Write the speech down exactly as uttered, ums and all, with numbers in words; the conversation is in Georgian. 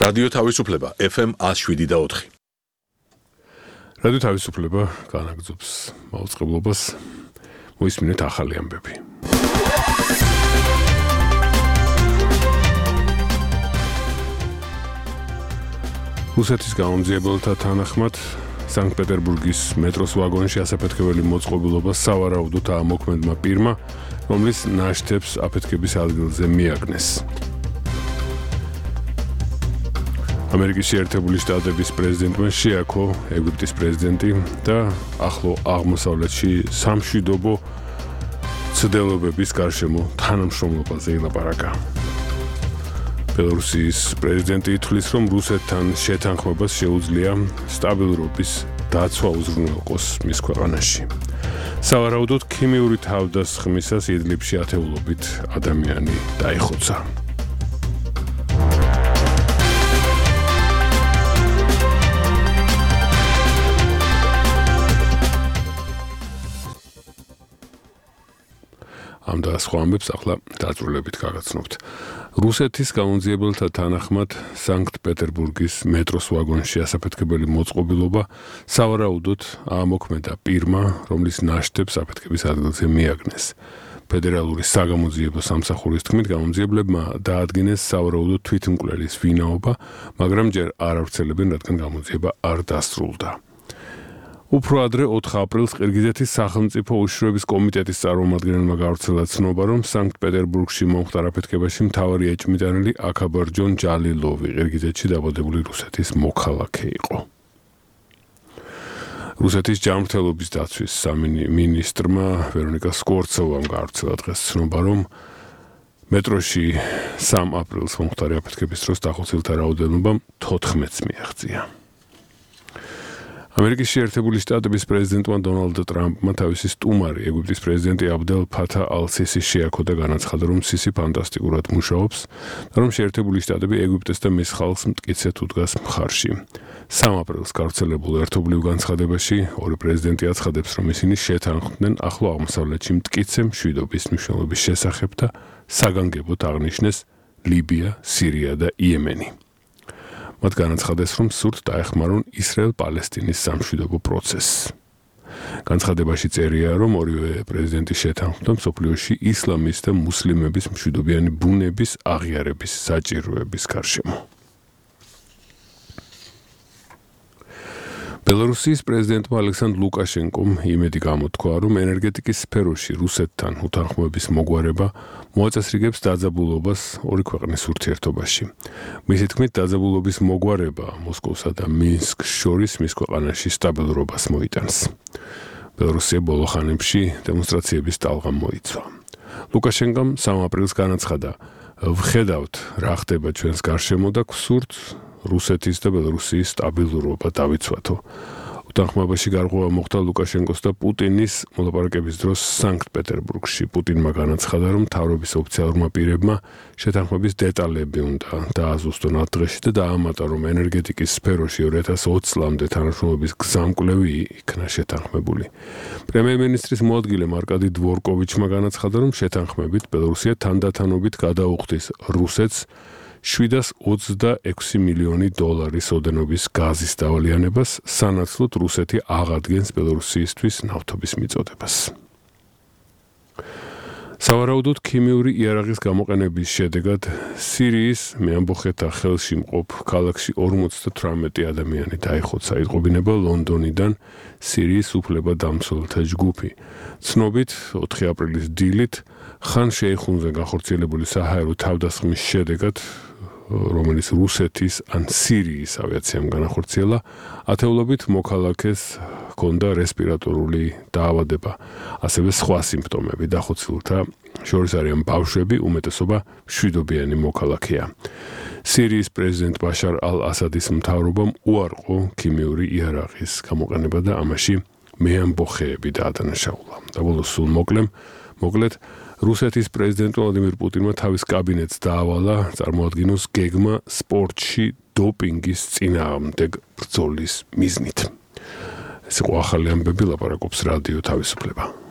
რადიო თავისუფლება ეფ ემ one oh seven და four. რადიო თავისუფლება განაგრძობს მაუწყებლობას. მოისმინეთ ახალი ამბები. რუსეთის გამომძიებელთა თანახმად სანქტ-პეტერბურგის მეტროს ვაგონში ასაფეთქებელი მოწყობილობა სავარაუდოდ ამოქმედმა პირმა, რომლის ნაშთებს აფეთქების ადგილზე მიაგნეს. ამერიკის შეერთებული შტატების პრეზიდენტმა შეაქო ეგვიპტის პრეზიდენტი და ახლო აღმოსავლეთში სამშვიდობო ცდილობების გარშემო თანამშრომლობაზე ილაპარაკა. ბელორუსიის პრეზიდენტი ითვლის, რომ რუსეთთან შეთანხმებას შეუძლია სტაბილურობის დაცვა უზრუნველყოს მის ქვეყანაში. სავარაუდოდ ქიმიური თავდასხმისას იდლიბში ათეულობით ადამიანი დაიხოცა. ამ და სხვა ამბებს ახლა დაწვრილებით გაგაცნობთ. რუსეთის გამომძიებელთა თანახმად სანქტ-პეტერბურგის მეტროს ვაგონში ასაფეთქებელი მოწყობილობა სავარაუდოდ აამოქმედა პირმა, რომლის ნაშთებს აფეთქების ადგილზე მიაგნეს. ფედერალური საგამოძიებო სამსახურის თქმით, გამომძიებლებმა დაადგინეს სავარაუდოდ თვითმკვლელის ვინაობა, მაგრამ ჯერ არ ავრცელებენ, რადგან გამოძიება არ დასრულდა. უფრო ადრე ოთხ აპრილს ყირგიზეთის სახელმწიფო უშიშროების კომიტეტის წარმომადგენელმა გავრცელა ცნობა, რომ სანქტ-პეტერბურგში მომხდარ აფეთქებაში მთავარი ეჭვმიტანილი აქაბარჯონ ჯალილოვი ყირგიზეთში დაბადებული რუსეთის მოქალაქე იყო. რუსეთის ჯანმრთელობის დაცვის სამინისტრმა ვერონიკა სკორცოვამ გავრცელა დღეს ცნობა, რომ მეტროში სამ აპრილს მომხდარი აფეთქების დროს დახოცილთა რაოდენობა თოთხმეტს მიაღწია. ამერიკის შეერთებული შტატების პრეზიდენტმა დონალდ ტრამპმა თავისი სტუმარი ეგვიპტის პრეზიდენტი აბდელ ფათა ალ-სისი შეაქო და განაცხადა, რომ სისი ფანტასტიკურად მუშაობს და რომ შეერთებული შტატები ეგვიპტეს და მის ხალხს მტკიცედ უდგას მხარში. სამ აპრილს გავრცელებულ ერთობლივ განცხადებაში ორი პრეზიდენტი აცხადებს, რომ ისინი შეთანხმდნენ ახლო აღმოსავლეთში მტკიცე მშვიდობის მნიშვნელობის შესახებ და საგანგებოდ აღნიშნეს ლიბია, სირია და იემენი. მათ განაცხადეს, რომ სურთ დაეხმარონ ისრაელ-პალესტინის სამშვიდობო პროცესს. განცხადებაში წერია, რომ ორივე პრეზიდენტი შეთანხმდა მსოფლიოში ისლამის და მუსლიმების მშვიდობიანი ბუნების აღიარების საჭიროების გარშემო. ბელორუსიის პრეზიდენტმა ალექსანდრ ლუკაშენკომ იმედი გამოთქვა, რომ ენერგეტიკის სფეროში რუსეთთან უთანხმოების მოგვარება მოაწესრიგებს დაძაბულობას ორი ქვეყნის ურთიერთობაში. მისი თქმით, დაძაბულობის მოგვარება მოსკოვსა და მინსკს შორის მის ქვეყანაში სტაბილურობას მოიტანს. ბელორუსია ბოლო ხანებში დემონსტრაციების ტალღამ მოიცვა. ლუკაშენკომ სამ აპრილს განაცხადა, ვხედავთ, რა ხდება ჩვენს გარშემო და გვსურთ რუსეთის და ბელორუსიის სტაბილურობა დავიცვათო. უთანხმოებაში გარღვევა მოხდა ლუკაშენკოს და პუტინის მოლაპარაკების დროს სანქტ-პეტერბურგში. პუტინმა განაცხადა, რომ მთავრობის ოფიციალურმა პირებმა შეთანხმების დეტალები უნდა დააზუსტონ ათ დღეში და დაამატა, რომ ენერგეტიკის სფეროში ორი ათას ოცი წლამდე თანამშრომლობის გზამკვლევი იქნა შეთანხმებული. პრემიერ-მინისტრის მოადგილემ არკადი დვორკოვიჩმა განაცხადა, რომ შეთანხმებით ბელორუსია თანდათანობით გადაუხდის რუსეთს შვიდას ოცდაექვსი მილიონი დოლარის ოდენობის გაზის დავალიანებას, სანაცვლოდ რუსეთი აღადგენს ბელორუსიისთვის ნავთობის მიწოდებას. სავარაუდოდ ქიმიური იარაღის გამოყენების შედეგად სირიის მეამბოხეთა ხელში მყოფ ქალაქში ორმოცდათვრამეტი ადამიანი დაიხოცა. იტყობინება ლონდონიდან სირიის უფლებადამცველთა ჯგუფი. ცნობით, ოთხი აპრილის დილით ხან შეიხუნზე განხორციელებული საჰაერო თავდასხმის შედეგად, რომელიც რუსეთის ან სირიის ავიაციამ განახორციელა, ათეულობით მოქალაქეს ჰქონდა რესპირატორული დაავადება, ასევე სხვა სიმპტომები. დახოცილთა შორის არიან ბავშვები, უმეტესობა მშვიდობიანი მოქალაქეა. სირიის პრეზიდენტ ბაშარ ალ-ასადის მთავრობამ უარყო ქიმიური იარაღის გამოყენება და ამაში მეამბოხეები დაადანაშაულა. და ბოლოს სულ მოკლემ, მოკლედ რუსეთის პრეზიდენტ ვლადიმირ პუტინმა თავის კაბინეტს დაავალა წარმოადგინოს გეგმა სპორტში დოპინგის წინააღმდეგ ბრძოლის მიზნით. ეს იყო ახალი ამბები, ლაპარაკობს რადიო თავისუფლება.